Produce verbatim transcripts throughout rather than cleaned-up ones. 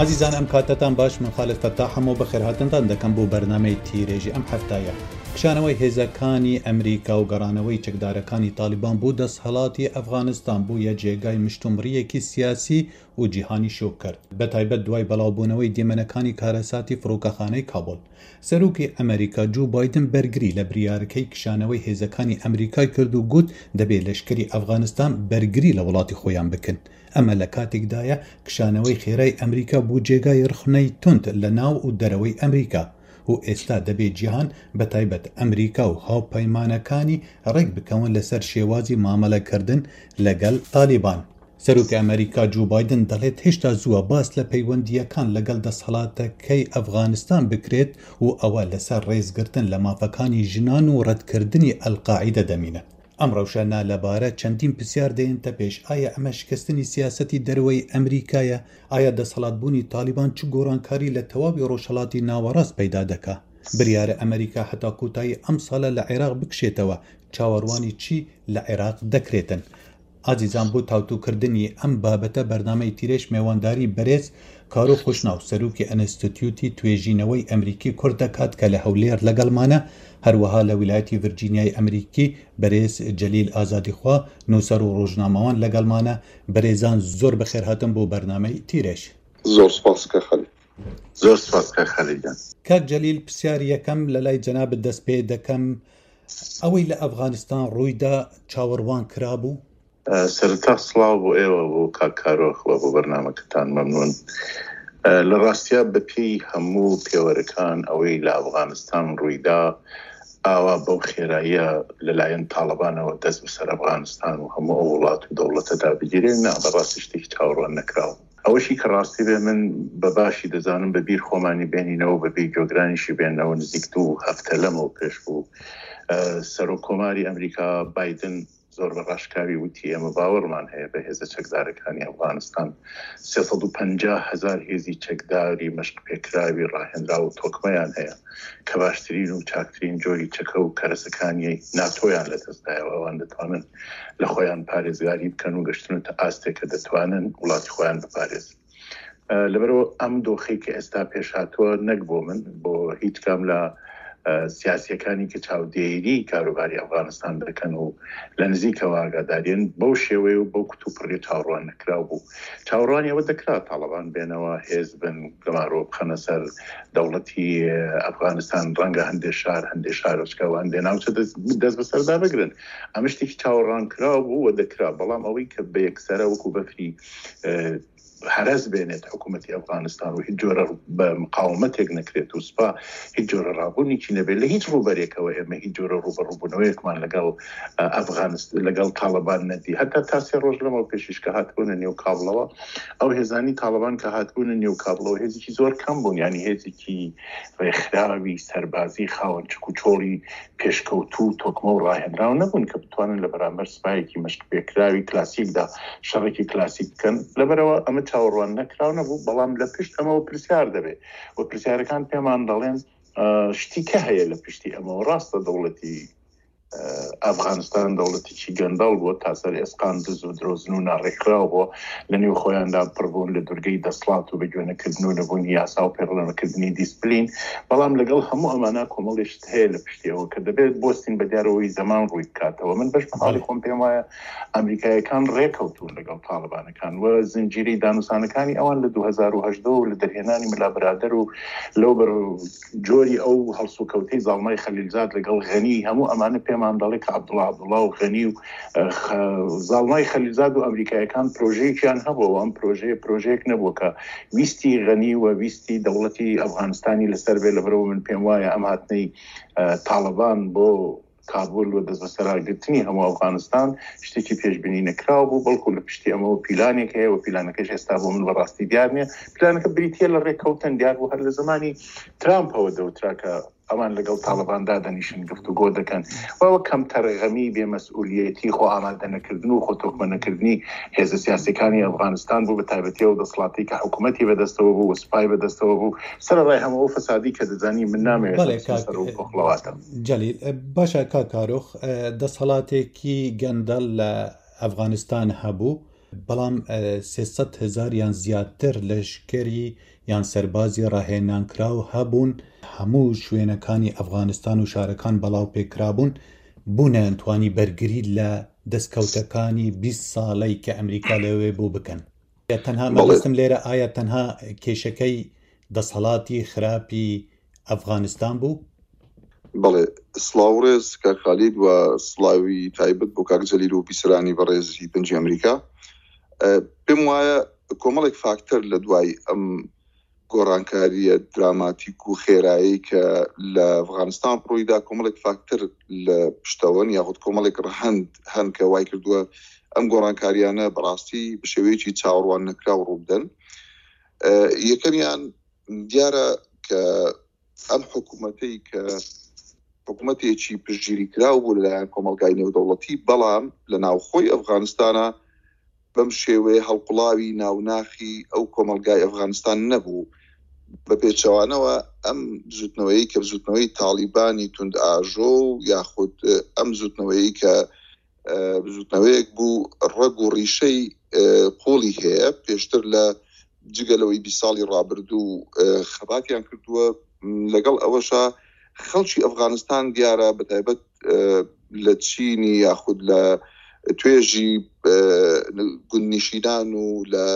ئازیزان ئەم کاتەتان باش، من خالد فەتاحم و بەخێرهاتنتان دەکەم بۆ بەرنامەی تیرێژی ئەم هەفتایە. کشانەوەی هێزەکانی ئەمریکا و گەڕانەوەی چەکدارەکانی تالیبان بۆ دەسهەڵاتی ئەفغانستان بوویە جێگای مشتومڕیەکی سیاسی و جیهانی شۆک کرد، بەتایبەت دوای بەڵاوبوونەوەی دیمەنەکانی کارەساتی فڕۆکەخانەی کابول. سەرۆکی ئەمریکا جۆ بایدن بەرگری لە بریارەکەی کشانەوەی هێزەکانی ئەمریکای کرد و گوت دەبێت لەشکری ئەفغانستان بەرگری لە وڵاتی خۆیان بکەن. ئەمە لە کاتێکدایە کشانەوەی خێرای ئەمریکا بۆ جێگای ڕخنەی توند لە ناو و دەرەوەی ئەمریکا و ئێستا دەبێت جیهان بە تایبەت ئەمریکا و هاوپەیمانەکانی ڕێک بکەون لەسەر شێوازی مامەڵەکردن لەگەڵ تالیبان. سەرۆکی ئەمریکا جۆ بایدن دەڵێت هێشتا زووە باس لە پەیوەندییەکان لەگەڵ دەسەڵاتەکەی ئەفغانستان بکرێت و ئەوە لەسەر ڕێزگرتن لە مافەکانی ژنان و ڕەتکردنی ئەلقاعیدە دەمینێت. ئەم ڕەوشە نالەبارە چەندین پرسیار دێنتە پێش. ئایا ئەمە شکستنی سیاسەتی دەرەوەی ئەمریکایە؟ ئایا دەسەڵاتبوونی تالیبان چ گۆڕانکاری لە تەواوی ڕۆژهەڵاتی ناوەڕاست پەیدا دەکا؟ بریارە ئەمریکا هەتا کۆتایی ئەم ساڵە لە عێراق بکشێتەوە. چاوەڕوانی چی لە عێراق دەکرێتن؟ ئازیزان بۆ تاوتوکردنی ئەم بابەتە بەرنامەی تیرێژ مێوانداری بەرێز کارۆخ خۆشناو سەرۆکی ئەنستیتیوتی توێژینەوەی ئەمریکی کورد دەکات کە لە هەولێر لەگەڵمانە، هەروەها لە ویلایەتی ڤرجینیای ئەمریکی بەرێز جەلیل ئازادیخوا نووسەر و ڕۆژنامەوان لەگەڵمانە. بەرێزان زۆر بەخێرهاتن بۆ بەرنامەی تیرێژ. زۆر سپاس کە خەلیل. زۆر سپاس کە خەلیل گیان. کاک جەلیل، پرسیار یەکەم لە لای جەنابت دەست پێ دەکەم. ئەوەی لە ئەفغانستان ڕوویدا چاوەڕوان کرابوو؟ سەرەتا سڵاو بۆ ئێوە، بۆ کاک کارۆخ و بۆ بەرنامەکەتان. مەمنون. لە ڕاستیا بەپێی هەموو پێوەرەکان ئەوەی لە ئەفغانستان ڕوویدا ئاوا بەو خێراییە لەلایەن تاڵەبانەوە دەست بەسەر ئەفغانستان و هەموو ئەو وڵات و دەوڵەتەدا بگیرێ، نا، بەڕاستی شتێکی چاوەڕوان نەکراوە. ئەوەشی کە ڕاستی بێ من بە باشی دەزانم بە بیر خۆمانی بێنینەوە، بە بیر گوێگرانیشی بێنەوە، نزیک دوو هەفتە لەمەوە پێش بوو سەرۆک کۆماری ئەمریکا بایدن زۆر بە ڕاشکاوی وتی ئێمە باوەڕمان هەیە بە هێزە چەکدارەکانی ئەفغانستان. سێ سەد و پەنجا هەزار هێزی چەکداری مەشق پێکراوی ڕاهێنراو و تۆکمەیان هەیە کە باشترین و چاکترین جۆری چەکە و کەرەسەکانی ناتۆیان لەدەستدایەوە. ئەوان دەتوانن لە خۆیان پارێزگاری بکەن و گەشتنەتە ئاستێک کە دەتوانن وڵاتی خۆیان بپارێزن. لەبەرەوە ئەم دۆخەی کە ئێستا پێشهاتووە نەک بۆ من، بۆ هیچ کام لە سیاسیەکانی کە چاودێری کاروباری ئەفغانستان دەکەن و لە نزیکەوە ئاگادارین، بەو شێوەیە و بەو کتوپڕی چاوەڕوان نەکراو بوو. چاوەڕوانی ئەوە دەکرا تاڵەبان بێنەوە، هێز بن، گەمارۆ بخەنە سەر دەوڵەتی ئەفغانستان، ڕەنگە هەندێک شار، هەندێک شارۆچکە و هەندێک ناوچە دەست بەسەردا بگرن. ئەمە شتێکی چاوەڕوان کراو بوو و دەکرا، بەڵام ئەوەی کە بە یەکسەرە وەکو بەفری هەرەس بێنێت حکوومەتی ئەفغانستان و هیچ جۆرە بە مقاومەتێک نەکرێت و سوپا هیچ جۆرە ڕابوونێکی نەبێت لە هیچ ڕووبەرێکەوە، ئێمە هیچ جۆرە ڕووبەڕووبوونەوەیەکمان لەگەڵ ئەفغانست لەگەڵ تاڵەبان نەدی. هەتا تا سێ ڕۆژ لەمەوە پێشیش کە هاتبوونە نێو کابڵەوە، ئەو هێزانی تاڵەبان کە هاتبوونە نێو کابڵەوە هێزێکی زۆر کەم بوون، یعنی هێزێکی ڕێکخراوی سەربازی خاوەن چک و چۆڵی پێشکەوتوو تۆکمە و ڕاهێنراو نەبوون کە بتوانن لە بەرامبەر سپایەکی مەشق پێکراوی کلاسیکدا شەڕێکی کلاسیک بکەن. لەبەرەوە ئەمە چاوەڕوان نەکراو نەبوو، بەڵام لە پشت ئەمەوە پرسیار دەبێت و پرسیارەکان پێمان دەڵێن شتی کە هەیە لە پشتی ئەمەوە. ڕاستە دەوڵەتی ئەفغانستان دەوڵەتێکی گەندەڵ بووە، تا سەر ئێسقان دز و درۆزن و ناڕێکخراو بووە، لە نێو خۆیاندا پڕبوون لە دوورگەی دەسڵات و بەگوێنەکردن و نەبوونی یاسا و پەیڕەوکردنی دیسپلین. بەڵام لەگەڵ هەموو ئەمانە کۆمەڵی شت هەیە لە پشتیەوە کە دەبێت بۆستین بە دیارەوەی زەمان ڕووی بکاتەوە. من بەش بەحاڵی خۆم پێم وایە ئەمریکایەکان ڕێکەوتون لەگەڵ تاڵبانەکان و زنجیرەی دانوسانەکانی ئەوان لە دوو هەزار و هەژدە و لە دەرهێنانی ملا برادەر و لەو بەر جۆری ئەو هەڵسوکەوتەی زاڵمای خەلیلزاد لەگەڵ غەنی، هەموو ئەمانە پێمان دەڵێ کە عەبدوڵڵا عەبدوڵڵا و غەنی و زاڵمای خەلیلزاد و ئەمریکایەکان پرۆژەیەکیان هەبووە. ئەم پرۆژەیە پرۆژەیەک نەبووە کە ویستی غەنی و ویستی دەوڵەتی ئەفغانستانی لەسەر بێ. لەبەرەوە من پێم وایە ئەم هاتنەی تاڵەبان بۆ کابول و دەست بەسەراگرتنی هەموو ئەفغانستان شتێکی پێشبینی نەکراو بوو، بەڵکو لە پشتی ئەمەوە پیلانێک هەیە و پیلانەکەش ئێستا بۆ من بەڕاستی دیار نییە. پیلانەکە بریتییە لە ڕێککەوتن، دیار بوو هەر لە زمانی ترامپەوە دەوترا کە ئەوان لەگەڵ تاڵەباندا دەنیشن گفتوگۆ دەکەن. وەوە کەمتەرغەمی بێمەسئولیەتی خۆ ئامادەنەکردن و خۆ تۆکمەنەکردنی هێزە سیاسیەکانی ئەفغانستان بوو، بە تایبەتی ئەو دەسەڵاتی کە حکوومەتی بەدەستەوە بوو و سوپای بەدەستەوە بوو، سەرەڕای هەموو ئەو فەسادی کە دەزانی من نامەوێت سەر و پۆخڵەواتە. جەلیل، باشە کاک کارۆخ، دەسەڵاتێکی گەندەڵ لە ئەفغانستان هەبوو، بەڵام سێ سەد هەزار یان زیاتر لەشکری یان سەربازی ڕاهێنانکراو هەبوون، هەموو شوێنەکانی ئەفغانستان و شارەکان بەڵاو پێکرابوون، بۆ نەیانتوانی بەرگری لە دەستکەوتەکانی بیست ساڵەی کە ئەمریکا لەوێ بوو بکەن. تەنها مەبەستم لێرە ئایا تەنها کێشەکەی دەسەڵاتی خراپی ئەفغانستان بوو؟ بەڵێ، سڵاو ڕێز کاک خالید و سڵاوی تایبەت بۆ کاک جەلیل و بیسەرانی بەڕێزی دەنگی ئەمریکا. پێم وایە کۆمەڵێک فاکتەر لە دوای ئەم گۆڕانکاریە دراماتیک و خێرایی کە لە ئەفغانستان ڕوویدا، کۆمەڵێک فاکتەر لە پشتەوەن یاخود کۆمەڵێک ڕەهەند هەن کە وای کردووە ئەم گۆڕانکاریانە بەڕاستی بە شێوەیەکی چاوەڕوان نەکراو ڕووبدەن. یەکەمیان دیارە کە ئەم حکوومەتەی کە حکوومەتێکی پشتگیری کراو بوو لەلایەن کۆمەڵگای نێودەوڵەتی، بەڵام لە ناوخۆی ئەفغانستانە بەم شێوەیە هەڵقوڵاوی ناوناخی ئەو کۆمەلگای ئەفغانستان نەبوو. بە پێچەوانەوە ئەم بزوتنەوەی کە بزوتنەوەی تاڵیبانی توند ئاژۆ و یاخود ئەم بزوتنەوەی کە بزوتنەوەیەک بوو ڕەگ و ڕیشەی قوڵی هەیە، پێشتر لە جگە لەوەی بیست ساڵی ڕابردوو خەباتیان کردووە، لەگەڵ ئەوەشا خەڵکی ئەفغانستان دیارە بە تایبەت لە چینی یاخود لە توێژی گوندنشینان و لە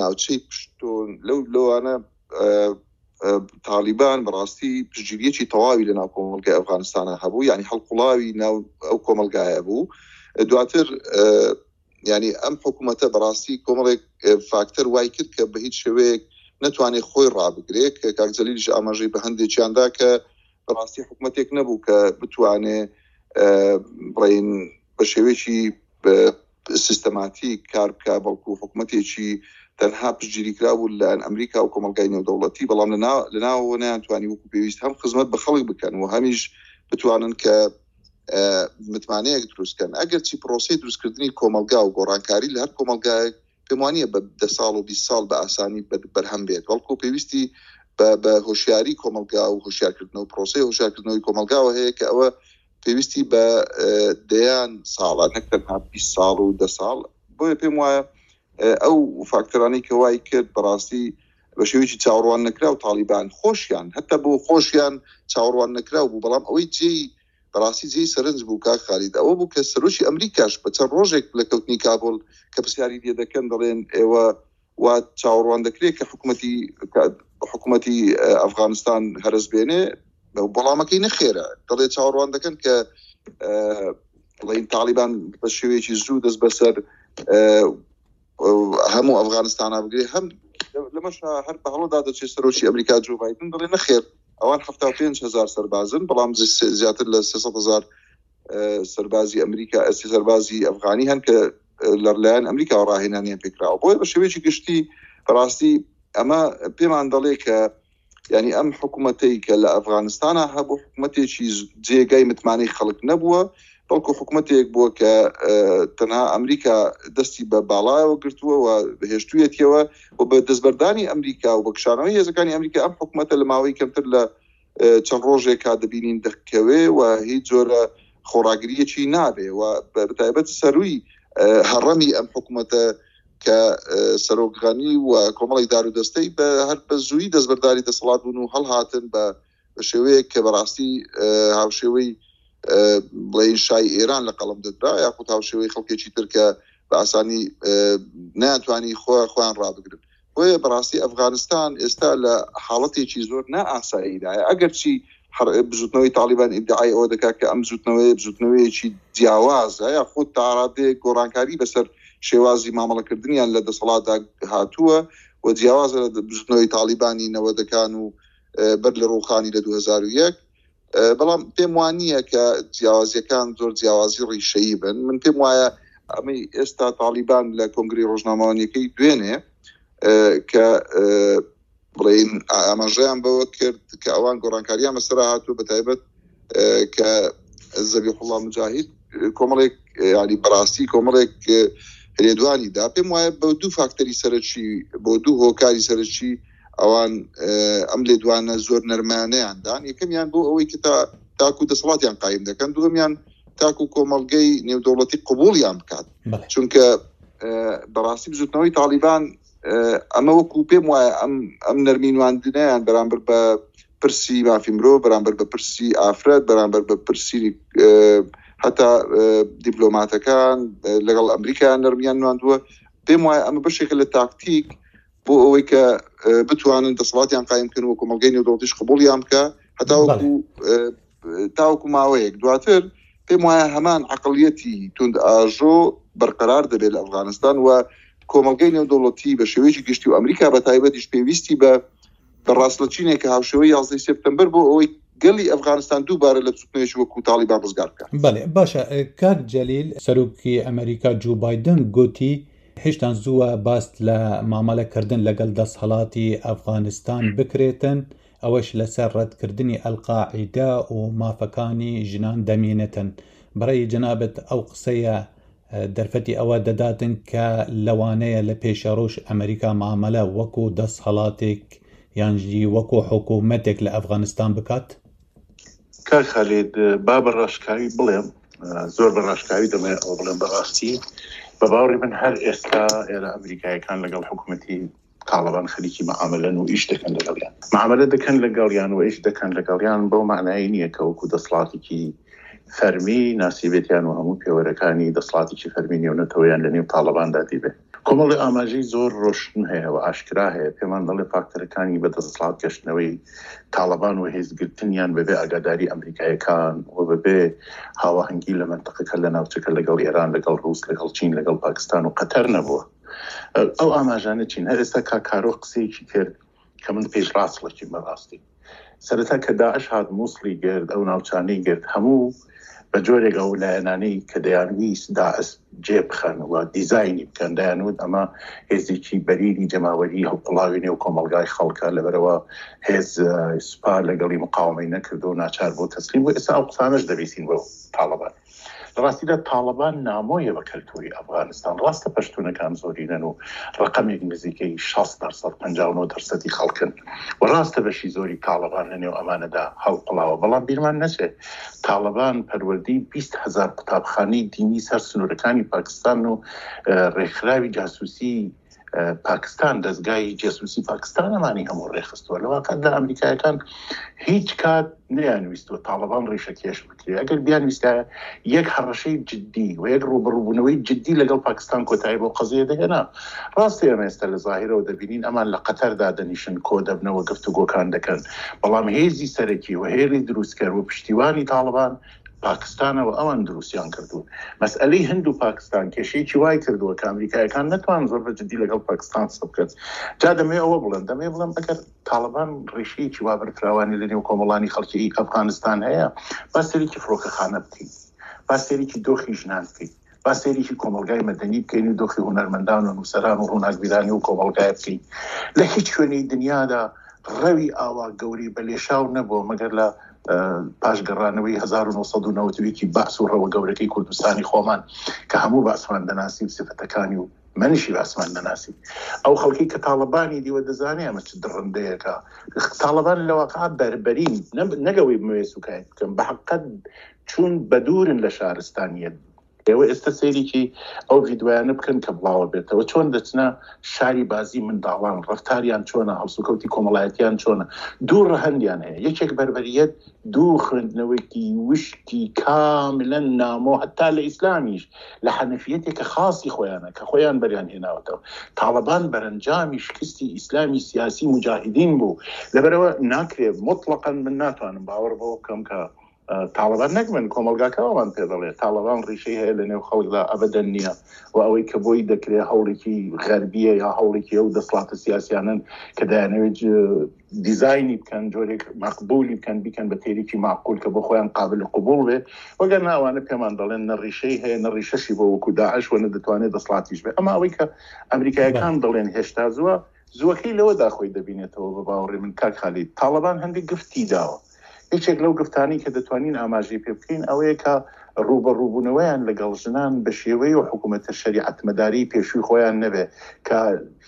ناوچەی پشتۆن لەو لەوانە تاڵیبان بەڕاستی پشتگیریەکی تەواوی لە ناو کۆمەڵگای ئەفغانستانە هەبوو، یعنی هەڵقوڵاوی ناو ئەو کۆمەلگایە بوو. دواتر یعنی ئەم حکوومەتە بەڕاستی کۆمەڵێک فاکتەر وای کرد کە بە هیچ شێوەیەک نەتوانێت خۆی ڕابگرێت، کە کاک جەلیلیش ئاماژەی بە هەندێکیاندا کە بەڕاستی حکوومەتێک نەبوو کە بتوانێ بڵێین بە شێوەیەکی سیستەماتیک کار بکە، بەڵکو حکوومەتێکی تەنها پشتگیری کرابوو لەلایەن ئەمریکا و کۆمەلگای نێودەوڵەتی، بەڵام لە ناوەوە نەیانتوانی وەکو پێویست هەم خزمەت بە خەڵک بکەن و هەمیش بتوانن کە متمانەیەک دروستکەن. ئەگەرچی پرۆسەی دروستکردنی کۆمەلگا و گۆڕانکاری لە هەر کۆمەلگایەک پێم وانییە بە دە ساڵ و بیست ساڵ بە ئاسانی بەرهەم بێت، بەڵکو پێویستی بە هۆشیاری کۆمەلگا و هۆشیارکردنەوە، پرۆسەی هۆشیارکردنەوەی کۆمەلگاوە هەیە کە ئەوە پێویستی بە دەیان ساڵە نەک تەنها بیست ساڵ و دە ساڵ. بۆیە پێم وایە ئەو فاکتەرانەی کە وای کرد بەڕاستی بە شێوەیەکی چاوەڕوان نەکراو تاڵیبان خۆشیان هەتا بۆ خۆشیان چاوەڕوان نەکراو بوو، بەڵام ئەوەی جێی بەڕاستی جێی سەرنج بوو کاک خالید ئەوە بوو کە سەرۆکی ئەمریکاش بە چەند ڕۆژێک لە کەوتنی کابول کە پرسیاری لێ دەکەن دەڵێن ئێوە وا چاوەڕوان دەکرێت کە حکوومەتی حکوومەتی ئەفغانستان هەرس بێنێ، بەڵامەکەی نەخێرە، دەڵێ چاوەڕوان دەکەن کە بڵێین تاڵیبان بە شێوەیەکی زوو دەست بەسەر هەموو ئەفغانستانە بگرێ. هەم لەمەش هەر بە هەڵەدا دەچێت سەرۆکی ئەمریکا جۆ بایدن دەڵێ نەخێر ئەوان حەفتا و پێنج هەزار سەربازن، بەڵام زیاتر لە سێ سەد هەزار سەربازی ئەمریکا سەربازی ئەفغانی هەن کە لەلایەن ئەمریکاوە ڕاهێنانیان پێکراوە. بۆیە بە شێوەیەکی گشتی بەڕاستی ئەمە پێمان دەڵێ کە یعنی ئەم حکوومەتەی کە لە ئەفغانستانە هەبوو حکوومەتێکی جێگای متمانەی خەڵک نەبووە، بەڵکو حکوومەتێک بووە کە تەنها ئەمریکا دەستی بە باڵایەوە گرتووە و هێشتوویەتیەوە و بە دەستبەردانی ئەمریکا و بە کشانەوەی هێزەکانی ئەمریکا ئەم حکوومەتە لە ماوەی کەمتر لە چەند ڕۆژێکا دەبینین دەکەوێ و هیچ جۆرە خۆڕاگریەکی نابێ و بەتایبەت سەروی هەڕەمی ئەم حکوومەتە کە سەرۆک غەنی و کۆمەڵێک دار و دەستەی بە هەر بە زووی دەستبەرداری دەسەڵات بوون و هەڵهاتن بە شێوەیەک کە بەڕاستی هاوشێوەی بڵێین شای ئێران لە قەڵەم دەدرا یاخود هاوشێوەی خەڵکێکی تر کە بە ئاسانی نەیانتوانی خۆیان ڕابگرن. بۆیە بەڕاستی ئەفغانستان ئێستا لە حاڵەتێکی زۆر نائاساییدایە، ئەگەرچی بزوتنەوەی تاڵیبان ئیدعای ئەوە دەکات کە ئەم بزوتنەوەیە بزوتنەوەیەکی جیاوازە یاخود تا ڕادەیەک گۆڕانکاری بەسەر شێوازی مامەڵەکردنیان لە دەسەڵاتدا هاتووە و جیاوازە لە بزوتنەوەی تاڵیبانی نەوەدەکان و بەر لە ڕووخانی لە دوو هەزار و یەک. بەڵام پێم وانییە کە جیاوازیەکان زۆر جیاوازی ڕیشەیی بن. من پێم وایە ئەمەی ئێستا تاڵیبان لە کۆنگری ڕۆژنامەوانیەکەی دوێنێ کە بڵێین ئاماژەیان بەوە کرد کە ئەوان گۆڕانکاریان بەسەرا هاتووە، بە تایبەت کە زەبیحوڵڵا مجاهید کۆمەڵێک ینی بەڕاستی کۆمەڵێک لێدوانی دا. پێم وایە بە دوو فاکتەری سەرەکی بۆ دوو هۆکاری سەرەکی ئەوان ئەم لێدوانە زۆر نەرمانەیان دان. یەکەمیان بۆ ئەوەی کە تاکو دەسەڵاتیان قایم دەکەن، دووەمیان تاکو کۆمەڵگەی نێودەوڵەتی قبوڵیان بکات، چونکە بەڕاستی بزوتنەوەی تاڵیبان ئەمە وەکو پێم وایە ئەم ئەم نەرمی نواندنیان بەرامبەر بە پرسی مافی مرۆڤ، بەرامبەر بە پرسی ئافرەت، بەرامبەر بە پرسی هەتا دیپلۆماتەکان لەگەڵ ئەمریکا نەرمیان نواندووە. پێم وایە ئەمە بەشێکە لە تاکتیک بۆ ئەوەی کە بتوانن دەسەڵاتیان قایم بکەن و کۆمەڵگەی نێودەوڵەتیش قبوڵیان بکە هەتاوەکو تاوەکو ماوەیەک. دواتر پێم وایە هەمان عەقڵیەتی توند ئاژۆ بەرقەرار دەبێت لە ئەفغانستان و کۆمەڵگەی نێودەوڵەتی بە شێوەیەکی گشتی و ئەمریکا بە تایبەتیش پێویستی بە بە ڕاستلەچینێک کە هاوشێوەی یازدەی سێپتەمبەر بۆ ئەوەی گەلی ئەفغانستان دووبارە لە بزوتنەوەیەکی وەکو تاڵیبان ڕزگار بکات. بەڵێ باشە کاک جەلیل، سەرۆکی ئەمریکا جۆ بایدن گوتی هێشتان زووە باست لە مامەڵەکردن لەگەڵ دەسهەڵاتی ئەفغانستان بکرێتن، ئەوەش لەسەر ڕەتکردنی ئەلقاعیدە و مافەکانی ژنان دەمێنێتن. بەڕێی جەنابەت ئەو قسەیە دەرفەتی ئەوە دەداتن کە لەوانەیە لە پێشەڕۆژ ئەمریکا مامەلە وەکو دەسهەڵاتێک یانژی وەکو حکوومەتێک لە ئەفغانستان بکات؟ کاک خالید، با بە ڕاشکاوی بڵێم، زۆر بە ڕاشکاوی دەمەوێت ئەوە بڵێم، بەڕاستی بە باوەڕی من هەر ئێستا ئێرە ئەمریکایەکان لەگەڵ حکوومەتی تاڵیبان خەریکی معاملەن و ئیش دەکەن لەگەڵیان، معاملە دەکەن لەگەڵیان و ئیش دەکەن لەگەڵیان بەو معنایی نییە کە وەکو دەسەڵاتێکی فەرمی ناسیبێتیان و هەموو پێوەرەکانی دەسەڵاتێکی فەرمی نێونەتەوەیان لە نێو تاڵیباندا دیبێ. کۆمەڵی ئاماژەی زۆر ڕۆشن هەیە و ئاشکرا هەیە پێمان دەڵێ فاکتەرەکانی بە دەسەڵات گەشتنەوەی تاڵیبان و هێزگرتنیان بەبێ ئاگاداری ئەمریکایەکان و بەبێ هاواهەنگی لە منطقەکە لە ناوچەکە لەگەڵ ئێران، لەگەڵ ڕووس، لەگەڵ چین، لەگەڵ پاکستان و قەتەر نەبووە. ئەو ئاماژانە چین؟ هەر ئێستا کاکارۆ قسەیەکی کرد کە من پێش ڕاستڵەکیم بەڕاستی. سەرەتا کە داعش هات مووسڵی گرت، ئەو ناوچانەی گرت، هەموو بە جۆرێک ئەو لایەنانەی کە دەیانویست داعش جێ بخەن و دیزاینی بکەن، دەیانوت ئەمە هێزێکی بەرینی جەماوەری هەڵقوڵاوی نێو کۆمەڵگای خەڵکە، لەبەرەوە هێز سوپا لەگەڵی مقاومەی نەکردو و ناچار بۆ تەسلیم بوو. ئێستا ئەو قسانەش دەبیسین بۆ تاڵیبان. لە ڕاستیدا تاڵیبان نامۆیە بە کەلتوری ئەفغانستان. ڕاستە پەشتونەکان زۆرینەن و ڕقەمێک نزیکەی شەست دەرسەد پەنجا و نۆ دەرسەدی خەڵکن و ڕاستە بەشی زۆری تاڵیبان لەنێو ئەمانەدا هەڵقوڵاوە، بەڵام بیرمان نەچێت تاڵیبان پەروەردەی بیست هەزار قوتابخانەی دینی سەر سنوورەکانی پاکستان و ڕێکخراوی جاسوسی پاکستان، دەستگای جاسوسی پاکستان ئەمانی هەموو ڕێخستووە. لە واقعدا ئەمریکایەکان هیچ کات نەیانویستووە تاڵیبان ڕیشە کێش بکرێت. ئەگەر بیانویستایە یەک هەڕەشەی جدی و یەک ڕووبەڕووبوونەوەی جدی لەگەڵ پاکستان کۆتایی بۆ قەزیە دەهێنا. ڕاستی ئێمە ئێستا لە ظاهرەوە دەبینین ئەمان لە قەتەردا دەنیشن، کۆ دەبنەوە، گفتوگۆکان دەکەن، بەڵام هێزی سەرەکی و هێڵی دروستکەر و پشتیوانی تاڵیبان پاکستانەوە ئەوان دروستیان کردوون. مەسئلەی هند و پاکستان کێشەیەکی وای کردووە کە ئەمریکایەکان نەتوان زۆر بە جدی لەگەڵ پاکستان قسە بکەن. جا دەمەوێت ئەوە بڵێم، دەمەوێت بڵێم ئەگەر تاڵیبان ڕیشەیەکی وا بەرفراوانی لەنێو کۆمەڵانی خەڵکی ئەفغانستان هەیە، با سەرێکی فڕۆکەخانە بکەین، با سەرێکی دۆخی ژنان بکەین، با سەرێکی کۆمەڵگای مەدەنی بکەین و دۆخی هونەرمەندان و نووسەران و ڕووناکبیرانی و کۆمەڵگای بکەین. لە هیچ شوێنی دنیادا ڕەوی ئاوا گەورەی بە لێشاو نەبووە مەگەر لە پاش گەڕانەوەی هەزار و نۆ سەد و نەوەد و یەکی بەعس و ڕەوە گەورەکەی کوردستانی خۆمان کە هەموو بەعسمان دەناسی و سفەتەکانی و منیشی بەعسمان دەناسی. ئەو خەڵکی کە تاڵیبانی دیوە دەزانێ ئەمە چ دڕندەیەکە. تاڵیبان لە واقع بەربەرین، نەگەوەی بمەوێت سوکایەت بکەم، بە حەقیقەت چوون بەدوورن لە شارستانیەت. ئێوە ئێستا سەیرێکی ئەو ڤیدیۆیانە بکەن کە بڵاوە بێتەوە، چۆن دەچنە شاری بازی منداڵان، ڕەفتاریان چۆنە، هەڵسوکەوتی کۆمەڵایەتیان چۆنە. دوو ڕەهەندیان هەیە، یەکێک بەربەریەت، دوو خوێندنەوەیەکی وشکی کاملا نامۆ هەتا لە ئیسلامیش لە حەنەفیەتێک کە خاصی خۆیانە کە خۆیان بەریان هێناوەتەوە. تاڵیبان بەرەنجامی شکستی ئیسلامی سیاسی مجاهدین بوو. لەبەرەوە ناکرێت مطلقاً من ناتوانم باوەڕ بەوە بکەم کە تاڵیبان نەک من کۆمەڵگاکەوەمان پێ دەڵێ تاڵیبان ڕیشەی هەیە لە نێو خەڵکدا ئەبەدەن نییە و ئەوەی کە بۆی دەکرێت هەوڵێکی غەربیە یا هەوڵێکی ئەو دەسەڵاتە سیاسیانن کە دەیانەوێت دیزاینی بکەن، جۆرێک مەقبولی بکەن، بیکەن بە تێرێکی معقول کە بۆ خۆیان قابل قبوڵ بێ. وەگەر ناوانە پێمان دەڵێن نە ڕیشەی هەیە نە ڕیشەشی بۆ وەکو داعش و نە دەتوانێت دەسەڵاتیش بێ. ئەما ئەوەی کە ئەمریکایەکان دەڵێن هێشتا زووە، زووەکەی لەوەدا خۆی دەبینێتەوە بە باوەڕی من کاک خالید. تاڵیبان هەندێک گفتی داوە. یەکێک لەو گفتانەی کە دەتوانین ئاماژەی پێ بکەین ئەوەیە کە ڕووبەڕووبوونەوەیان لەگەڵ ژنان بە شێوەی و حکوومەتە شەریعەتمەداری پێشووی خۆیان نەبێ کە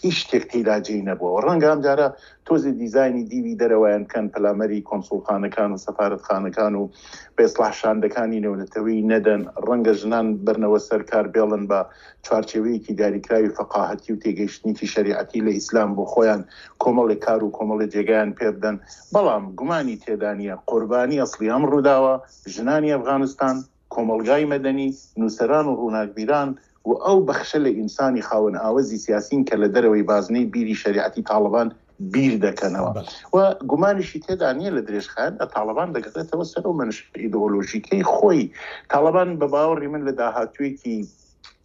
هیچ شتێک تێیدا جێی نەبووە. ڕەنگە ئەمجارە تۆزێ دیزاینی دیوی دەرەوەیان بکەن، پەلامەری کۆنسوڵخانەکان و سەفارەتخانەکان و بە ئیسڵاح شاندەکانی نێونەتەوەیی نەدەن، ڕەنگە ژنان بەرنەوە سەر کار بێڵن بە چوارچێوەیەکی دیاریکراوی فەقاهەتی و تێگەیشتنێکی شەریعەتی لە ئیسلام بۆ خۆیان کۆمەڵێک کار و کۆمەڵێ جێگایان پێ بدەن. بەڵام گومانی تێدا نییە قوربانی ئەسڵی ئەم ڕووداوە ژنانی ئەفغانستان، کۆمەڵگای مەدەنی، نووسەران و ڕووناکبیران و ئەو بەخشە لە ئینسانی خاوەن ئاوەزی سیاسین کە لە دەرەوەی بازنەی بیری شەریعەتی تاڵبان بیر دەکەنەوە و گومانیشی تێدا نییە لە درێژخایەندا تاڵبان دەگەڕێتەوە سەر ئەو مەنشە ئیدئۆلۆژیکەی خۆی. تاڵبان بە باوەڕی من لە داهاتوویەکی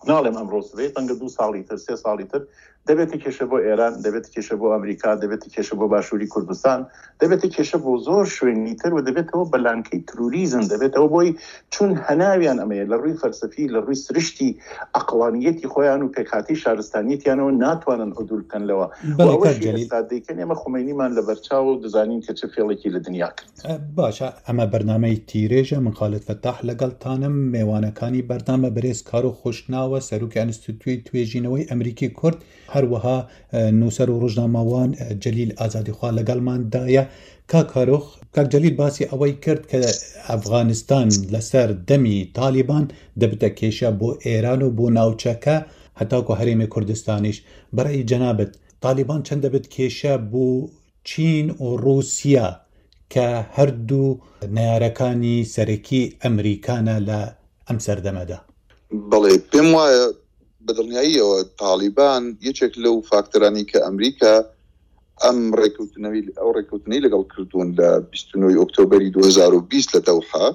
ناڵێم ئەمڕۆ سبەی، ڕەنگە دوو ساڵی تر سێ ساڵی تر دەبێتە کێشە بۆ ئێران، دەبێتە کێشە بۆ ئەمریکا، دەبێتە کێشە بۆ باشووری کوردستان، دەبێتە کێشە بۆ زۆر شوێنی تر و دەبێتەوە بە لانکەی تروریزم، دەبێتەوە بۆی چون هەناویان ئەمەیە لە ڕووی فەلسەفی، لە ڕووی سرشتی عەقڵانیەتی خۆیان و پێکهاتەی شارستانیەتیانەوە ناتوانن عدول بکەن لەوە. و بەڵێ کاک ئەوەشی جەلیل. ئێستا دەیکەن ئێمە خومەینیمان لەبەرچاوە و دەزانین کە چ فێڵێکی لە دنیا کرد. باشە، ئەمە بەرنامەی تیرێژە، من خالد فەتاح لەگەڵتانم. مێوانەکانی بەرنامە بەرێز کارۆخ خۆشناوە، سەرۆکی ئەنستیتوی توێژینەوەی ئەمریکی کورد، هەروەها نووسەر و ڕۆژنامەوان جەلیل ئازادیخوا لەگەڵماندایە. کاک کارۆخ، کاک جەلیل باسی ئەوەی کرد کە ئەفغانستان لەسەر دەمی تالیبان دەبتە کێشە بۆ ئێران و بۆ ناوچەکە هەتاکو هەرێمی کوردستانیش. بەڕێی جەنابت تالیبان چەند دەبێت کێشە بۆ چین و ڕووسیا کە هەردوو نەیارەکانی سەرەکی ئەمریکانە لە ئەم سەردەمەدا؟ بەڵێ، پێم وایە بە دڵنیاییەوە تالیبان یەکێک لەو فاکتەرانی کە ئەمریکا ئەم ڕێککەوتنەوەی ئەو ڕێککەوتنەی لەگەڵ کردوون لە بیست و نۆ ئۆکتۆبەری دوو هەزار و بیست لە دەوحە،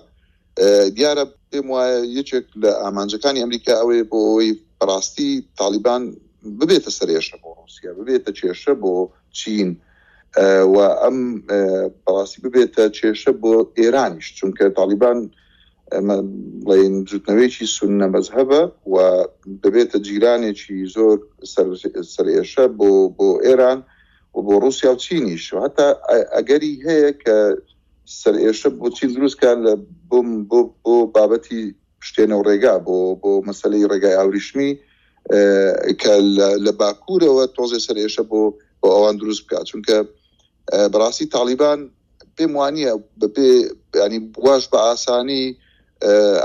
دیارە پێم وایە یەکێک لە ئامانجەکانی ئەمریکا ئەوەیە بۆ ئەوەی بەڕاستی تالیبان ببێتە سەرێشە بۆ ڕووسیا، ببێتە کێشە بۆ چین و ئەم بەڕاستی ببێتە کێشە بۆ ئێرانیش، چونکە تالیبان بڵێن بزوتنەوەیەکی سوننە مەزهەبە و دەبێتە جیرانێکی زۆر سەرئێشە بۆ بۆ ئێران و بۆ ڕووسیا و چینیش. حتا ئەگەری هەیە کە سەرئێشە بۆ چین دروست کات لە بۆ بۆ بۆ بابەتی پشتێنە و ڕێگا، بۆ بۆ مەسلەی ڕێگای ئاوریشمی کە لە باکوورەوە تۆزێ سەرئێشە بۆ بۆ ئەوان دروست بکات. چونکە بەڕاستی تالیبان پێم وانییە بەبێ ینی واش بە ئاسانی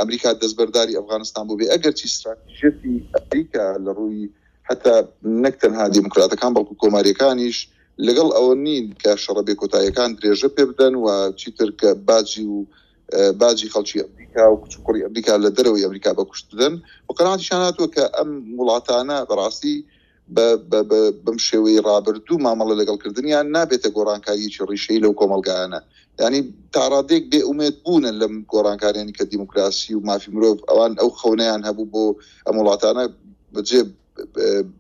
ئەمریکا دەستبەرداری ئەفغانستان بوو بێ، ئەگەرچی استراتیژیەتی ئەمریکا لە ڕووی حتا نەک تەنها دیموکراتەکان بەڵکو کۆماریەکانیش لەگەڵ ئەوە نین کە شەڕە بێکۆتاییەکان درێژە پێ بدەن و چیتر کە باجی و باجی خەڵکی ئەمریکا و کچ و کوڕی ئەمریکا لە دەرەوەی ئەمریکا بە کوشت بدەن. و قەناعەتیشان هاتووە کە ئەم وڵاتانە بەڕاستی بەم شێوەی ڕابردوو مامەڵە لەگەڵکردنیان نابێتە گۆڕانکاریەکی ڕیشەیی لەو کۆمەڵگایانە. ینی تاڕادێک بێ ئومێد بوونە لەم گۆڕانکاریانی کە دیموکراسی و مافی مرۆڤ ئەوان ئەو خەونەیان هەبوو بۆ ئەم وڵاتانە بەجێ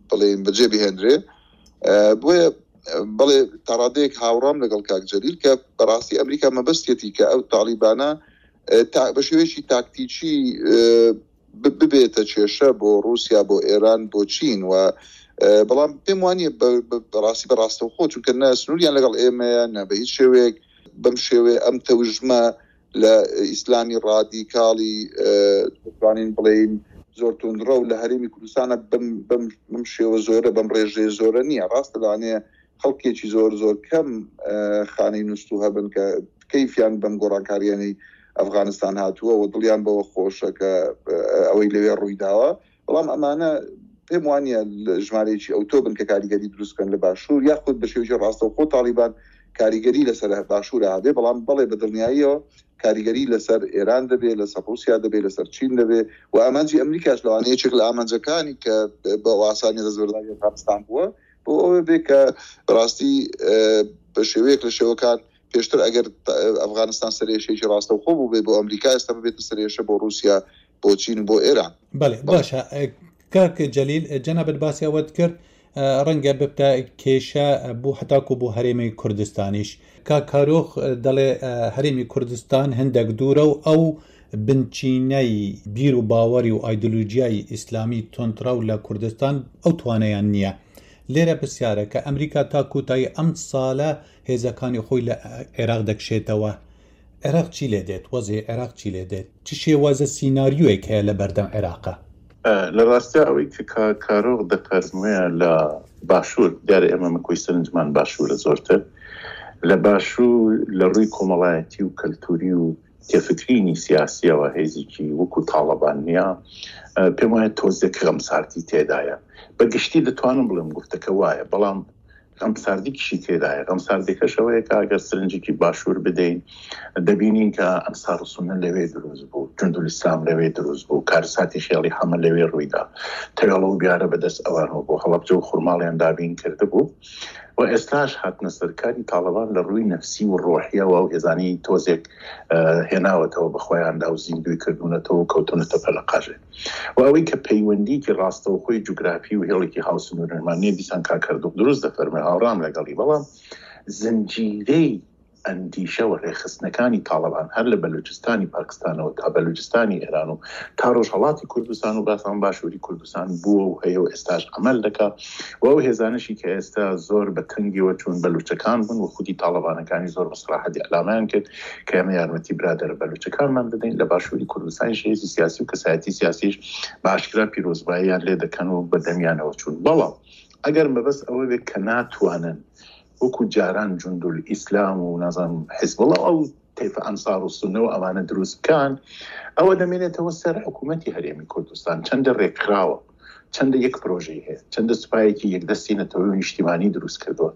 بڵێن بەجێ بهێنرێ. بۆیە بەڵێ تاڕادەیەک هاوڕام لەگەڵ کاک جەلیل کە بەڕاستی ئەمریکا مەبەستێتی کە ئەو تالیبانە بە شێوەیەکی تاکتیکی ببێتە کێشە بۆ ڕووسیا، بۆ ئێران، بۆ چین و بەڵام پێم وانییە بەڕاستی بەڕاستەوخۆ، چونکە نە سنووریان لەگەڵ ئێمەیە نە بە هیچ شێوەیەک بەم شێوەیە ئەم تەوژمە لە ئیسلامی ڕادیکاڵی دەتوانین بڵێین زۆر توندڕەو لە هەرێمی کوردستانە بەم شێوە زۆرە بەم ڕێژەیە زۆرە نییە. ڕاستە لەوانەیە خەڵکێکی زۆر زۆر کەم خانەی نووسوو هەبن کە کەیفیان بەم گۆڕانکاریانەی ئەفغانستان هاتووە و دڵیان بەوە خۆشە کە ئەوەی لەوێ ڕووی داوە، بەڵام ئەمانە پێم وانییە ژمارەیەکی ئەوتۆ بن کە کاریگەری دروست بکەن لە باشوور یاخود بە شێوەیەکی ڕاستەوخۆ تاڵیبان کاریگەری لەسەر باشوورە هەبێ، بەڵام بەڵێ بە دڵنیاییەوە کاریگەری لەسەر ئێران دەبێ، لەسەر ڕووسیا دەبێ، لەسەر چین دەبێ و ئامانجی ئەمریکاش لەوانەیە یەکێک لە ئامانجەکانی کە بە ئاسانی دەستبەرداری ئەفغانستان بووە بۆ ئەوە بێ کە بەڕاستی بە شێوەیەک لە شێوەکان پێشتر ئەگەر ئەفغانستان سەرێشەیەکی ڕاستەوخۆ بوو بێ بۆ ئەمریکا، ئێستا ببێتە سەرێشە بۆ ڕووسیا، بۆ چین و بۆ ئێران. بەڵێ باشە کاک جەلیل، جەنابت باسی ئەوەت کرد ڕەنگە ببتە کێشە بۆ هەتاکو بۆ هەرێمی کوردستانیش. کاک کارۆخ دەڵێ هەرێمی کوردستان هەندێک دوورە و ئەو بنچینەی بیر و باوەڕی و ئایدۆلۆژیای ئیسلامی توندڕەو لە کوردستان ئەو توانەیان نییە. لێرە پرسیارە کە ئەمریکا تا کۆتایی ئەم ساڵە هێزەکانی خۆی لە عێراق دەکشێتەوە، عێراق چی لێ دێت؟ وەزعی عێراق چی لێ دێت؟ چ شێوازە سیناریۆیەک هەیە لە بەردەم عێراقا؟ لە ڕاستیا ئەوەی کە کاک کارۆخ دەفەرموێ لە باشوور، دیارە ئێمە مەکۆی سەرنجمان باشوورە زۆرتر، لە باشوور لە ڕووی کۆمەڵایەتی و کەلتوری و تێفکرینی سیاسیەوە هێزێکی وەکو تاڵەبان نییە، پێم وایە تۆزێک غەمساردی تێدایە. بە گشتی دەتوانم بڵێم گفتەکە وایە، بەڵام غەمساردی کشی تێدایە. غەمساردیەکەش ئەوەیە کە ئەگەر سەرنجێکی باشوور بدەین دەبینین کە ئەنسار و سوننە لەوێ دروست بوو، جوندولئیسلام لەوێ دروست بوو، کارساتی خێڵی حەمە لەوێ ڕوویدا، تەوێڵە و بیارە بەدەست ئەوانەوە بۆ هەڵەبجە و خورماڵیان دابین کردبوو و ئێستاش هاتنە سەرکاری تاڵەبان لە ڕووی نەفسی و ڕۆحیەوە و هێزانی تۆزێک هێناوەتەوە بە خۆیاندا و زیندوی کردوونەتەوە و کەوتونەتە پەلەقاژێ. و ئەوەی کە پەیوەندیکی ڕاستەوخۆی جوگرافی و هێڵێکی هاوسنوورمان نییە، دیسان کاک کاردۆخ دروست دەفەرمێ، هاوڕام لەگەڵی، بەڵام زنجیرەی ئەندیشە و ڕێخستنەکانی تاڵەبان هەر لە بەلوچستانی پاکستانەوە تا بەلوچستانی ئێران و تا ڕۆژهەڵاتی کوردستان و باسان باشووری کوردستان بووە و هەیە و ئێستاش عەمەل دەکا. و ئەو هێزانەشی کە ئێستا زۆر بە تەنگیەوە چوون بەلوچەکان بوون و خودی تاڵەبانەکانی زۆر بە سەراحەتی ئەلامیان کرد کە ئێمە یارمەتی برادەرە بەلوچەکانمان بدەین. لە باشووری کوردستانیش هێزی سیاسی و کەسایەتی سیاسیش بە ئاشکرا پیرۆزباییان لێ دەکەن و بە دەمیانەوە چوون. بەڵام ئەگەر مەبەست ئەوە بێت کە ناتوانن وەکو جاران جوندول ئیسلام و نازانم حیزبوڵڵا ئەو تەیفە ئەنسار و سوننە و ئەوانە دروست بکەن، ئەوە دەمێنێتەوە سەر حکوومەتی هەرێمی کوردستان. چەندە ڕێکخراوە، چەندە یەک پرۆژەی هەیە، چەندە سوپایەکی یەکدەستی نەتەوەی و نیشتیمانی دروست کردووە،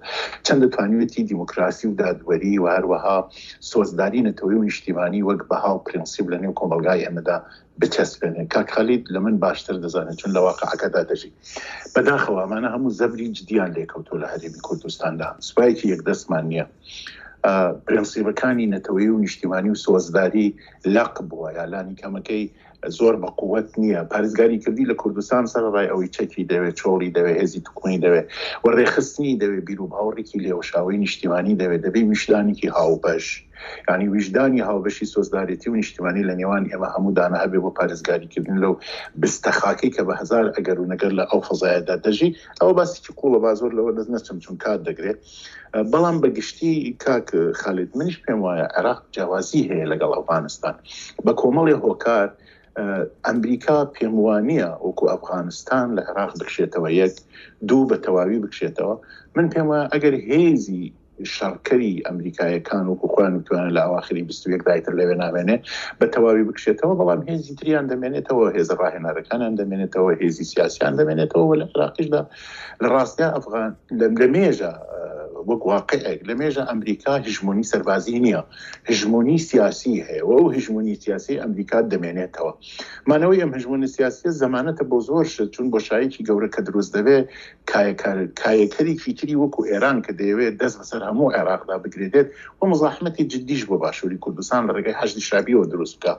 چەندە توانیوێتی دیموکراسی و دادوەری و هەروەها سۆزداری نەتەوەی و نیشتیمانی وەک بەها و پرنسیپ لە نێو کۆمەڵگای ئێمەدا بچەسپێنێ. کاک خالید لە من باشتر دەزانێت چون لە واقعەکەدا دەژی. بەداخەوە ئەمانە هەموو زەبری جدیان لێکەوتووە لە هەرێمی کوردستاندا. سوپایەکی یەکدەستمان نییە، پرنسیپەکانی نەتەوەی و نیشتیمانی و سۆزداری لەق بووە، یا لانی کەمەکەی زۆر بە قووەت نییە. پارێزگاری کردی لە کوردستان سەرەڕای ئەوەی چەکی دەوێت، چۆڵی دەوێت، هێزی توکمەی دەوێت و ڕێخستنی دەوێت، بیر و باوەڕێکی لێوەشاوەی نیشتیمانی دەوێت، دەبێ ویژدانێکی هاوبەش، یعنی ویژدانی هاوبەشی سۆزدارێتی و نیشتیمانی لە نێوان ئێمە هەموو دانە هەبێ بۆ پارێزگاریکردن لەو بستەخاکەی کە بە هەزار ئەگەر و نەگەر لە ئەو فەزایەدا دەژی. ئەوە باسێکی قوڵە، با زۆر لەوە دەست نەچم چون کات دەگرێت. بەڵام بەگشتی کاک خالید منیش پێم وایە عێراق جیاوازی هەیە لەگەڵ ئەفغانستان بە کۆمەڵی هۆکار. ئەمریکا پێم وانییە وەکو ئەفغانستان لە عێراق بکشێتەوە، یەک دوو بە تەواوی بکشێتەوە. من پێم وایە ئەگەر هێزی شەڕکەری ئەمریکایەکان وەکو خۆیان وتوانە لە ئەواخری بیست و یەک دایتر لەوێ نامێنێ بە تەواوی بکشێتەوە، بەڵام هێزی تریان دەمێنێتەوە، هێزە ڕاهێنەرەکانیان دەمێنێتەوە، هێزی سیاسیان دەمێنێتەوە. و لە عێراقیشدا لە ڕاستیا ئەفغان لە مێژە وەک واقعێک لە مێژە ئەمریکا هژمۆنی سەربازی نییە، هژمۆنی سیاسی هەیە و ئەو هژمۆنی سیاسی ئەمریکا دەمێنێتەوە. مانەوەی ئەم هژمۆنی سیاسیە زەمانەتە بۆ زۆر شت، چون بۆشاییکی گەورە کە دروست دەبێت، کایەکەرێکی تری وەکو ئێران کە دەیەوێت دەست بەسەر هەموو عێراقدا بگرێت و مزاحمەتی جدیش بۆ باشووری کوردستان لە ڕێگەی حەشدی شابیەوە دروست بکە.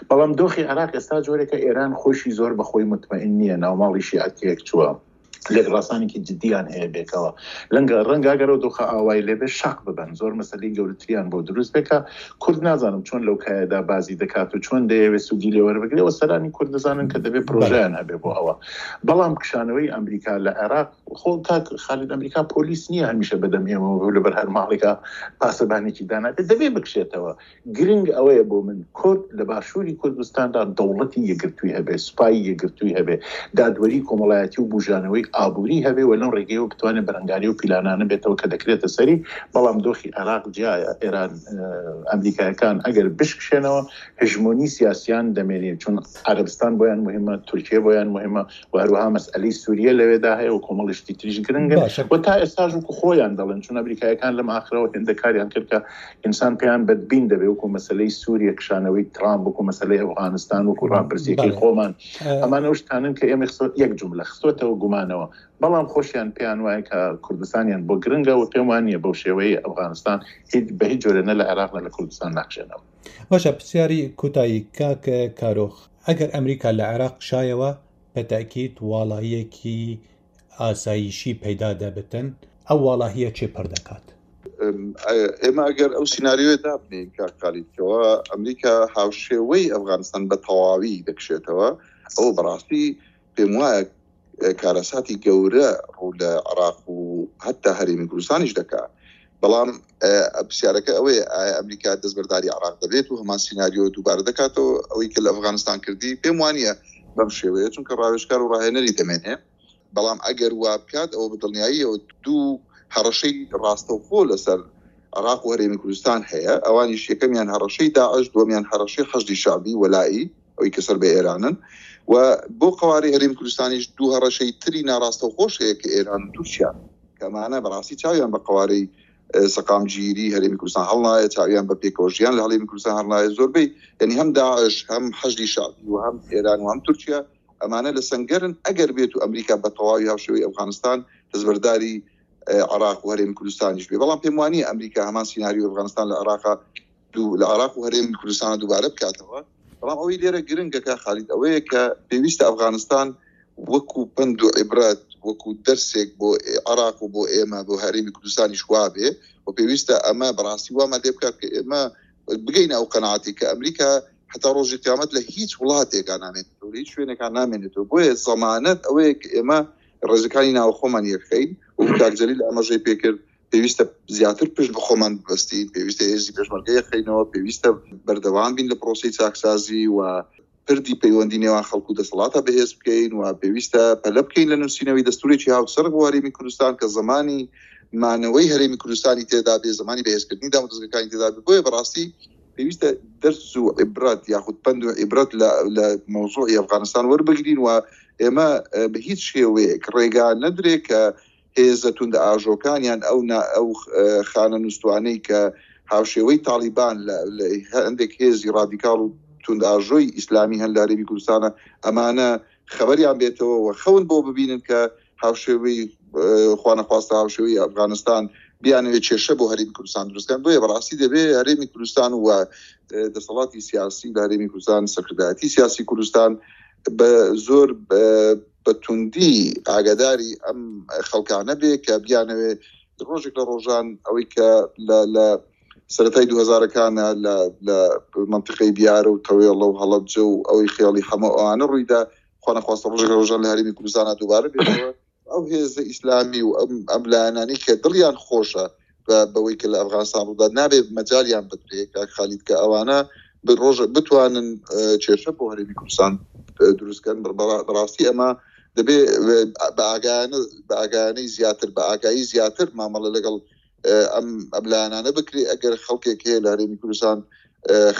بەڵام دۆخی عێراق ئێستا جۆرێکە ئێران خۆشی زۆر بەخۆی متمئن نییە، ناوماڵی شیعە تێک چووە، لێکڕاسانێکی جدیان هەیە بێکەوە. لەنگە ڕەنگە ئەگەرەوە دۆخە ئاوای لێبێ شەق ببن، زۆر مەسەلەی گەورەتریان بۆ دروست بێکە. کورد نازانم چۆن لەو کایەدا بازی دەکات و چۆن دەیەوێت سوودی لێوەربگرێ و سەرانی کورد دەزانن کە دەبێت پرۆژەیان هەبێ بۆ ئەوە. بەڵام کشانەوەی ئەمریکا لە عێراق، خۆ کاک خالید ئەمریکا پۆلیس نییە هەمیشە بەدەم ئێمەوە لەبەر هەر ماڵێکە پاسەبانێکی دانابێت، دەبێ بکشێتەوە. گرنگ ئەوەیە بۆ من کورد لە باشووری کوردستاندا دەوڵەتی یەکگرتووی هەبێ، سوپای یەکگرتووی هەبێ، دادوەری کۆمەڵایەتی و بوژانەوەی ئابووری هەبێ و لەم ڕێگەیەوە بتوانێت بەرەنگاری و پیلانانە بێتەوە کە دەکرێتە سەری. بەڵام دۆخی عێراق جیایە، ئێران ئەمریکایەکان ئەگەر بشکشێنەوە هژمۆنی سیاسیان دەمێنێت، چون عەرەبستان بۆیان مهمە، تورکیە بۆیان مهمە و هەروەها مەسئلەی سووریە لەوێدا هەیە و کۆمەڵی شتی تریش گرنگن و تا ئێستاش وەکو خۆیان دەڵێن، چون ئەمریکایەکان لەم ئاخرەوە هێندە کاریان کرد کە ئینسان پێیان بەدبین دەبێ، وەکو مەسەلەی سووریە، کشانەوەی ترامپ، وەکو مەسەلەی ئەفغانستان، وەکو ڕاپرسیەکەی خۆمان. ئەمانە ئەو شتانن کە ئێمە یەک جوملە خستۆتەوە گومانەوە، بەڵام خۆشیان پێیان وایە کە کوردستانیان بۆ گرنگە و پێم وانییە بەو شێوەیە ئەفغانستان هیچ بە هیچ جۆرە نە لە عێراق نە لە کوردستان ناکشێنەوە. باشە، پرسیاری کۆتایی کاک کارۆخ، ئەگەر ئەمریکا لە عێراق کشایەوە بە تەئکید واڵاییەکی ئاسایشی پەیدا دەبتن، ئەو واڵاهیە چێ پڕ دەکات؟ ئێمە ئەگەر ئەو سیناریۆیە دابنین کاک خالید کەوە ئەمریکا هاوشێوەی ئەفغانستان بە تەواوی دەکشێتەوە، ئەو بەڕاستی پێم وایە کارەساتی گەورە ڕوو لە عێراق و حتا هەرێمی کوردستانیش دەکات. بەڵام پرسیارەکە ئەوەیە ئایا ئەمریکا دەستبەرداری عێراق دەبێت و هەمان سیناریۆ دووبارە دەکاتەوە ئەوەی کە لە ئەفغانستان کردی؟ پێم وانییە بەم شێوەیە، چونکە ڕاوێژکار و ڕاهێنەری دەمێنێ. بەڵام ئەگەر وا بکات ئەوە بە دڵنیاییەوە دوو هەڕەشەی ڕاستەوخۆ لەسەر عێراق و هەرێمی کوردستان هەیە، ئەوانیش یەکەمیان هەڕەشەی داعش، دووەمیان هەڕەشەی حەشدی شەعبی وەلائی ئەوەی کە سەر بە ئێرانن، و بۆ قەوارەی هەرێمی کوردستانیش دوو هەڕەشەی تری ناڕاستەوخۆش هەیە کە ئێران و تورکیا، کە ئەمانە بەڕاستی چاویان بە قەوارەی سەقامگیری هەرێمی کوردستان هەڵنایە، چاویان بە پێکەوە ژیان لە هەرێمی کوردستان هەڵنایە. زۆربەی یعنی هەم داعش هەم حەشدی شەعبی و هەم ئێران و هەم تورکیا ئەمانە لە سەنگەرن ئەگەر بێت و ئەمریکا بە تەواوی هاوشێوەی ئەفغانستان دەستبەرداری عێراق و هەرێمی کوردستانیش بێ. بەڵام پێم وانییە ئەمریکا هەمان سیناریۆ ئەفغانستان لە عێراق لە عێراق و هەرێمی کوردستان دووبارە بکاتەوە. بەڵام ئەوەی لێرە گرنگە کە خالید ئەوەیە کە پێویستە ئەفغانستان وەکو پەند و عیبرەت وەکو دەرسێک بۆ عێراق و بۆ ئێمە بۆ هەرێمی کوردستانیش وابێ، و پێویستە ئەمە بەڕاستی وامان لێ بکات کە ئێمە بگەینە ئەو قەناعەتی کە ئەمریکا حتا ڕۆژی قیامەت لە هیچ وڵاتێکا نامێنێتەوە، لە هیچ شوێنێکا نامێنێتەوە. بۆیە زەمانەت ئەوەیە کە ئێمە ڕێزەکانی ناوخۆمان یەکخەین و کاک جەلیل ئاماژەی پێکرد پێویستە زیاتر پشت بە خۆمان ببەستین، پێویستە هێزی پێشمەرگە یەکخەینەوە، پێویستە بەردەوام بین لە پرۆسەی چاکسازی و پردی پەیوەندی نێوان خەڵک و دەسەڵاتە بەهێز بکەین، و پێویستە پەلە بکەین لە نووسینەوەی دەستورێکی هاوچەرخ بۆ هەرێمی کوردستان کە زمانی مانەوەی هەرێمی کوردستانی تێدا بێ، زمانی بەهێزکردنی دامودەزگاکانی تێدا بێ. بۆیە بەڕاستی پێویستە دەرس و عیبرەت یاخود پەند و عیبرەت لە مەوزوعی ئەفغانستان وەربگرین و ئێمە بە هیچ شێوەیەک ڕێگا نەدرێ کە هێزە توند ئاژۆکانیان ئەو ئەو خانە نووسوانەی کە هاوشێوەی تاڵیبان لە هەندێک هێزی ڕادیکاڵ و توند ئاژۆی ئیسلامی هەن لە هەرێمی کوردستانە، ئەمانە خەبەریان بێتەوە و خەون بۆ ببینن کە هاوشێوەی خوانەخواستە هاوشێوەی ئەفغانستان بیانەوێت کێشە بۆ هەرێمی کوردستان دروستکەن. بۆیە بەڕاستی دەبێ هەرێمی کوردستان و دەسەڵاتی سیاسی لە هەرێمی کوردستان، سەرکردایەتی سیاسی کوردستان بە زۆر بە توندی ئاگاداری ئەم خەڵکانە بێ کە بیانەوێ ڕۆژێک لە ڕۆژان ئەوەی کە لە سەرەتای دوو هەزارەکانە لە منطقەی بیارە و تەوێڵە و هەڵەبجە و ئەوەی خێڵی هەموو ئەوانە ڕوویدا، خوانەخواستە ڕۆژێک لە ڕۆژان لە هەرێمی کوردستانە دووبارە بێتەوە. ئەو هێزە ئیسلامی و ئەم لایەنانەی کە دڵیان خۆشە بەوەی کە لە ئەفغانستان ڕوودا نابێت مەجالیان بدرێت کاک خالید کە ئەوانە ڕۆژ بتوانن کێشە بۆ هەرێمی کوردستان دروستکەن. بەڕاستی ئەمە دەبێ بە ئاگایانەی زیاتر بە ئاگایی زیاتر مامەڵە لەگەڵ ئەم ئەم لایەنانە بکرێ. ئەگەر خەڵکێک هەیە لە هەرێمی کوردستان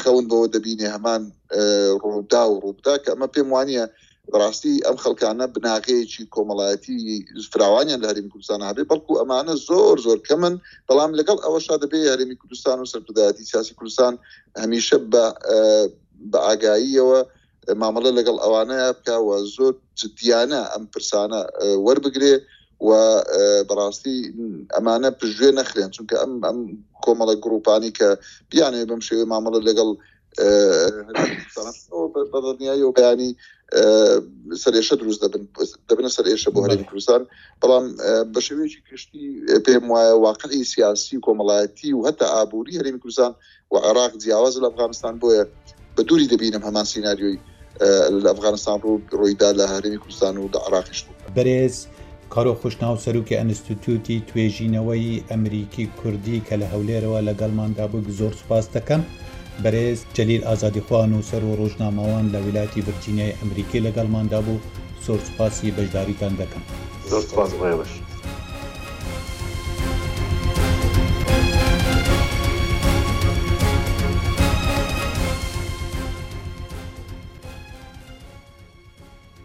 خەون بەوە دەبینێ هەمان ڕوودا و ڕووبدا، کە ئەمە پێم وانییە بەڕاستی ئەم خەڵکانە بناغەیەکی کۆمەڵایەتی فراوانیان لە هەرێمی کوردستان هەبێ، بەڵکو ئەمانە زۆر زۆر کەمن. بەڵام لەگەڵ ئەوەشا دەبێ هەرێمی کوردستان و سەرکردایەتی سیاسی کوردستان هەمیشە بە ئاگاییەوە مامەڵە لەگەڵ ئەوانەیە بکە و زۆر جدیانە ئەم پرسانە وەربگرێ و بەڕاستی ئەمانە پشتگوێ نەخرێن، چونکە ئەم ئەم کۆمەڵە گروپانی کە بیانەوێ بەم شێوەیە مامەڵە لەگەڵ بەدڵنیایی و بەیانی سەرێشە دروست دەبن، دەبنە سەرێشە بۆ هەرێمی کوردستان. بەڵام بە شێوەیەکی گشتی پێم وایە واقعی سیاسی و کۆمەڵایەتی و هەتا ئابووری هەرێمی کوردستان و عێراق جیاواز لە ئەفغانستان، بۆیە بە دووری دەبینم هەمان سیناریۆی لە ئەفغانستان ڕوویدا لە هەرێمی کوردستان و لە عێراقیش. بەرێز کارۆخ خۆشناو سەرۆکی ئەنستیتوتی توێژینەوەی ئەمریکی کوردی کە لە هەولێرەوە لەگەڵماندا بوو زۆر سوپاس دەکەم. بەرێز جەلیل ئازادیخوا نووسەر و ڕۆژنامەوان لە ویلایەتی ڤرجینیای ئەمریکی لەگەڵماندا بوو، زۆر سوپاسی بەشداریتان دەکەم. زۆر سوپاس بۆ ئێوەش.